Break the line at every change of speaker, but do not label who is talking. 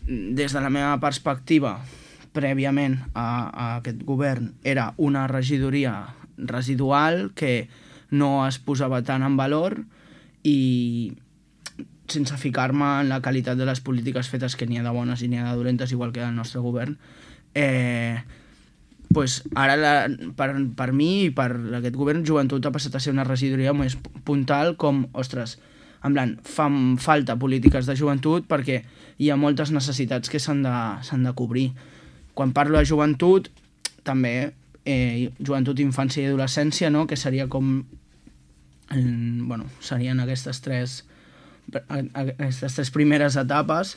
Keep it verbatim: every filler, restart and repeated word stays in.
des de la meva perspectiva, prèviament a, a aquest govern, era una regidoria residual que no es posava tant en valor i sense ficar-me en la qualitat de les polítiques fetes, que n'hi ha de bones i n'hi ha de dolentes, igual que el nostre govern, eh, pues ara la, per, per mi i per aquest govern, Joventut ha passat a ser una regidoria més puntal, com, ostres, en plan, fan falta polítiques de joventut perquè hi ha moltes necessitats que s'han de, s'han de cobrir. Quan parlo de joventut, també eh, joventut, infància i adolescència, no? Que seria com, eh, bueno, serien aquestes tres aquestes tres primeres etapes,